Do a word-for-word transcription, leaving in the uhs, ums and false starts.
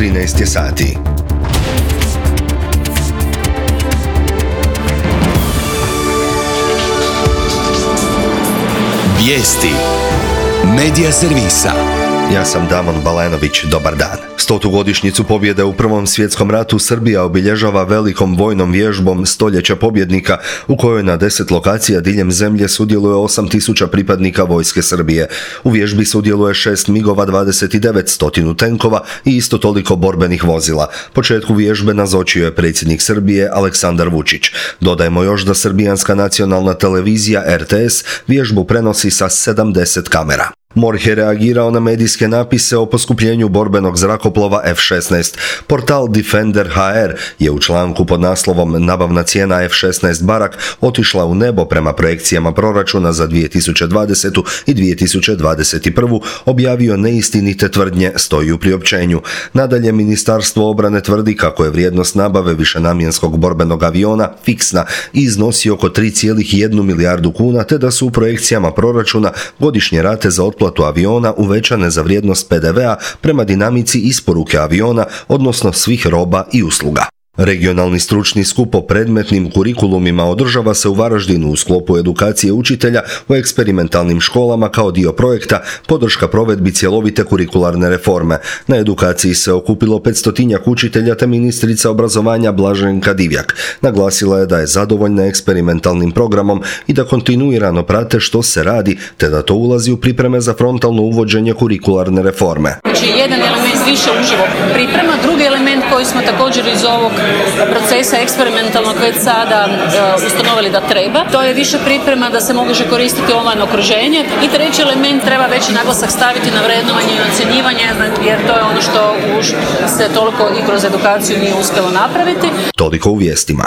trinaest je sati. Vijesti Medija servisa. Ja sam Damon Balenović, dobar dan. Stotu godišnjicu pobjede u Prvom svjetskom ratu Srbija obilježava velikom vojnom vježbom Stoljeća pobjednika, u kojoj na deset lokacija diljem zemlje sudjeluje osam tisuća pripadnika vojske Srbije. U vježbi sudjeluje šest migova dvadeset devet, stotinu tenkova i isto toliko borbenih vozila. Početku vježbe nazočio je predsjednik Srbije Aleksandar Vučić. Dodajmo još da srbijanska nacionalna televizija R T S vježbu prenosi sa sedamdeset kamera. MORH je reagirao na medijske napise o poskupljenju borbenog zrakoplova F šesnaest. Portal Defender H R je u članku pod naslovom "Nabavna cijena F šesnaest Barak otišla u nebo prema projekcijama proračuna za dvije tisuće dvadesetu. i dvije tisuće dvadeset prvu. objavio neistinite tvrdnje, stoji u priopćenju. Nadalje, Ministarstvo obrane tvrdi kako je vrijednost nabave višenamjenskog borbenog aviona fiksna i iznosi oko tri zarez jedna milijardu kuna, te da su u projekcijama proračuna godišnje rate za otplatu platu aviona uvećane za vrijednost P D V-a prema dinamici isporuke aviona, odnosno svih roba i usluga. Regionalni stručni skup o predmetnim kurikulumima održava se u Varaždinu u sklopu edukacije učitelja u eksperimentalnim školama kao dio projekta Podrška provedbi cjelovite kurikularne reforme. Na edukaciji se okupilo petstotinjak učitelja te ministrica obrazovanja Blaženka Divjak. Naglasila je da je zadovoljna eksperimentalnim programom i da kontinuirano prate što se radi, te da to ulazi u pripreme za frontalno uvođenje kurikularne reforme. Znači, jedan element više uživo priprema, drugi element koji smo također iz ovog procesa eksperimentalnog već sada uh, ustanovili da treba. To je više priprema da se može koristiti online okruženje. I treći element, treba veći naglasak staviti na vrednovanje i ocjenjivanje, jer to je ono što už se toliko i kroz edukaciju nije uspjelo napraviti. Toliko u vijestima.